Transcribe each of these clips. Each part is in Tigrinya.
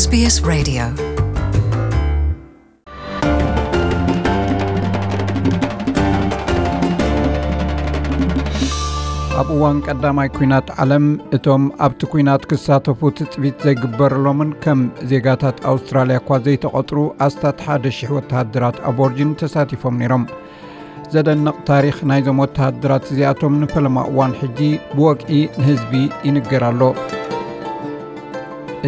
SBS Radio. ኣብ እዋን ቀዳማይ ኲናት ዓለም፣ እቶም ኣብቲ ኲናት ክሳተፉ ትጽቢት ዘይግበረሎምን ከም ዜጋታት ኣውስትራልያ እኳ ዘይተቖጽሩ ኣስታት ሓደ ሽሕ ወተሃደራት ኣቦርጂን ተሳቲፎም ነይሮም። ዘደንቕ ታሪኽ ናይዞም ወተሃደራት እዚኣቶም ንፈለማ እዋን ሕጂ ብወግዒ ንህዝቢ ይንገር ኣሎ።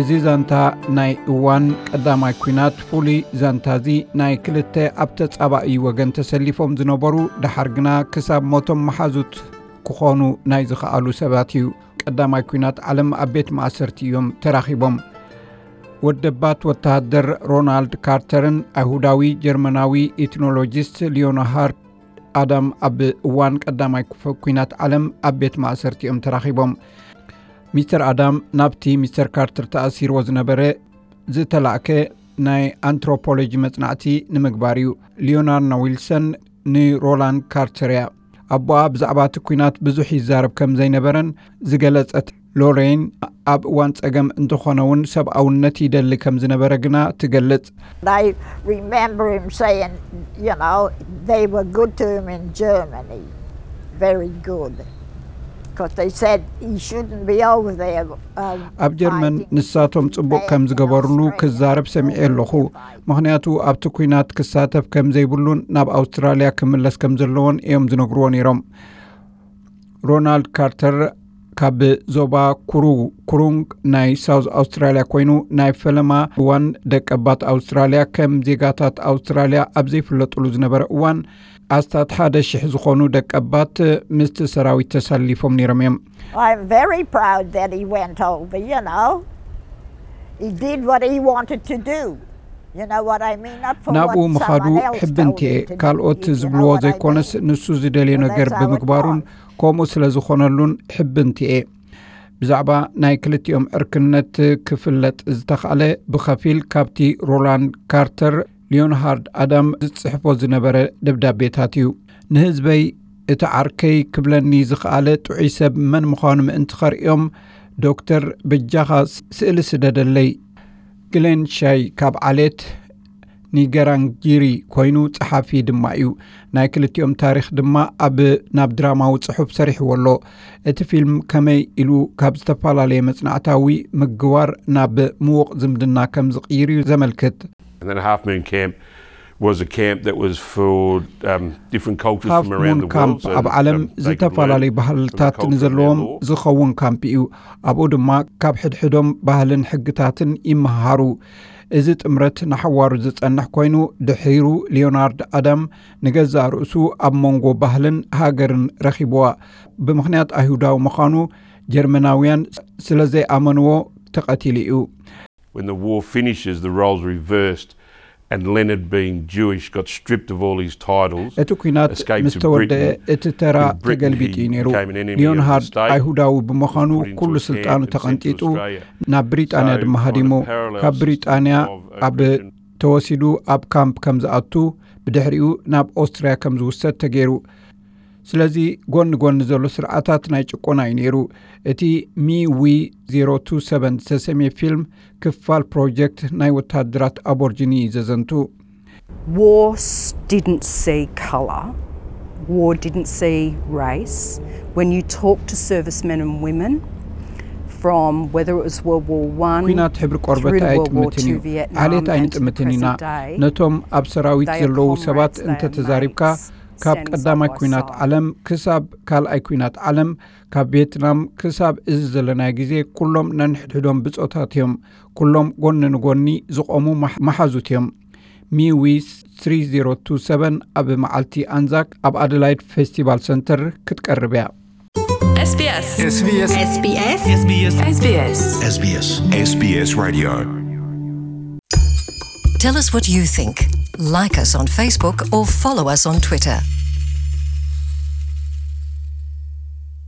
እዚ ዛንታ ናይ እዋን ቀዳማይ ኲናት ፍሉይ ዛንታ እዚ ናይ ክልተ ኣብ ተጻባኢ ወገን ተሰሊፎም ዝነበሩ፣ ደሓር ግና ክሳብ ሞቶም መሓዙት ክኾኑ ናይ ዝኸኣሉ ሰባት እዩ። ቀዳማይ ኲናት ዓለም ኣብ ቤት ማእሰርቲ እዮም ተራኺቦም። ወደባት ወተሃደር ሮናልድ ካርተርን ኣይሁዳዊ ጀርመናዊ ኢትኖሎጂስት ሊዮናሃርድ ኣዳም ኣብ እዋን ቀዳማይ ክፈ-፣ ኲናት ዓለም ኣብ ቤት ማእሰርቲ እዮም ተራኺቦም። ሚስተር ኣዳም ናብቲ ሚስተር ካርተር ተኣሲርዎ ዝነበረ ዝተላእከ ናይ ኣንትሮፖሎጂ መጽናዕቲ ንምግባር እዩ። ሊዮናርና ዊልሰን ንሮላንድ ካርተር እያ። ኣቦኣ ብዛዕባ እቲ ኲናት ብዙሕ ይዛረብ ከም ዘይነበረን ዝገለጸት ሎሬን፣ ኣብ እዋን ጸገም እንተኾነ እውን ሰብኣውነት ይደሊ ከም ዝነበረ ግና ትገልጽ። I remember him saying, you know, they were good to him in Germany. Very good. Because they said he shouldn't be over there. Uh, ኣብ ጀርመን ንሳቶም ጽቡቕ ከም ዝገበርሉ ክዛረብ ሰሚዐ ኣለኹ። ምኽንያቱ ኣብቲ ኲናት ክሳተፍ ከም ዘይብሉን ናብ ኣውስትራልያ ክምለስ ከም ዘለዎን እዮም ዝነግርዎ ነይሮም። ሮናልድ ካርተር ካብ ዞባ ኩሩ-፣ ኩሩንግ ናይ ሳውዝ ኣውስትራልያ ኮይኑ፣ ናይ ፈለማ እዋን ደቀባት ኣውስትራልያ ከም ዜጋታት ኣውስትራልያ ኣብ ዘይፍለጡሉ ዝነበረ እዋን፣ ኣስታት ሓደ ሽሕ ዝኾኑ ደቀባት ምስቲ ሰራዊት ተሳሊፎም ነይሮም እዮም። I'm very proud that he went over, you know. He did what he wanted to do. You know what I mean? Not for ናብኡ what ምኻዱ someone else ሕብንቲ told እየ። him to do, ካልኦት if you know ዝብልዎ what I ዘይኮነስ mean. ንሱ ዝደልዮ So ነገር that's how it ብምግባሩን was. ከምኡ ስለ ዝኾነሉን ሕብንቲ እየ። ብዛዕባ ናይ ክልቲኦም ዕርክነት ክፍለጥ ዝተኻእለ ብኸፊል ካብቲ ሮላንድ ካርተር ሊዮንሃርድ ኣዳም ዝጽሕፎ ዝነበረ ደብዳቤታት እዩ። ንህዝበይ እቲ ዓርከይ ክብለኒ ዝኸኣለ ጥዑይ ሰብ መን ምዃኑ ምእንቲ ኸርእዮም፣ ዶክተር በጃኻ ስ-፣ ስእሊ ስደደለይ። ግሌን ሻይ ካብ ዓሌት ኒገራንጊሪ ኮይኑ ጸሓፊ ድማ እዩ። ናይ ክልቲኦም ታሪኽ ድማ ኣብ፣ ናብ ድራማዊ ጽሑፍ ሰሪሕዎ ኣሎ። እቲ ፊልም ከመይ ኢሉ ካብ ዝተፈላለየ መጽናዕታዊ ምግባር ናብ ምዉቕ ዝምድና ከም ዝቕይር እዩ ዘመልክት። And then Half Moon Camp was a camp that was for um, different cultures ሃፍ from around ሙን the world. ካምፕ So, ኣብ ዓለም um, they could learn ዝተፈላለየ from the ባህልታት culture and their ንዘለዎም law. ዝኸውን ካምፕ እዩ። ኣብኡ ድማ ካብ ሕድሕዶም ባህልን ሕግታትን ይመሃሩ። እዚ ጥምረት ንሓዋሩ ዝጸንሕ ኮይኑ፣ ድሒሩ ሊዮናርድ ኣዳም ንገዛእ ርእሱ ኣብ መንጎ ባህልን ሃገርን ረኺብዋ። ብምኽንያት ኣይሁዳዊ ምዃኑ ጀርመናውያን ስለ ዘይኣመንዎ ተቐቲሉ እዩ። When the war finishes, the roles reversed, and Leonard, being Jewish, got stripped of all his titles. እቲ ኲናት Escaped ምስ to ተወደአ Britain. እቲ ተራ In Britain, ተገልቢጡ እዩ he ነይሩ። became an enemy of the ሊዮንሃርድ state, ኣይሁዳዊ was ብምዃኑ put into ኩሉ a camp ስልጣኑ and sent to ተቐንጢጡ Australia. ናብ ብሪጣንያ So, ድማ kind of ሃዲሙ። the parallels ካብ ብሪጣንያ of ኣብ oppression. ተወሲዱ ኣብ ካምፕ ከም ዝኣቱ፣ ብድሕሪኡ ናብ ኦስትርያ ከም ዝውሰድ ተገይሩ። ስለዚ ጎኒ ጎኒ ዘሎ ስርዓታት ናይ ጭቆና እዩ ነይሩ። እቲ ሚ ዊ ዜሮ ቱ ሰቨን ዝተሰምየ ፊልም ክፋል ፕሮጀክት ናይ ወታደራት ኣቦርጂኒ እዩ ዘዘንቱ። War s- didn't see colour, war didn't see race. When you talk to servicemen and women, from whether it was World War One, ኲናት ሕብሪ ቆርበት through to World War ኣይጥምትን እዩ። Two, Vietnam, ዓሌት and to the ኣይንጥምትን ኢና። present day, ነቶም ኣብ ሰራዊት they are ዘለዉ comrades, ሰባት they are እንተተዛሪብካ፣ mates, ካብ stand ቀዳማይ side by ኲናት side. ዓለም ክሳብ ካልኣይ ኲናት ዓለም፣ ካብ ቬትናም ክሳብ እዚ ዘለናዮ ግዜ፣ ኩሎም ነንሕድሕዶም ብጾታት እዮም። ኩሎም ጎኒ ንጎኒ ዝቖሙ መሕ-፣ መሓዙት እዮም። ሚዊ ትሪ ዜሮ ቱ ሰቨን ኣብ መዓልቲ ኣንዛክ ኣብ ኣደላይድ ፌስቲቫል ሰንተር ክትቀርብ እያ። SBS. SBS. SBS. SBS. SBS Radio. Tell us what you think. Like us on Facebook or follow us on Twitter.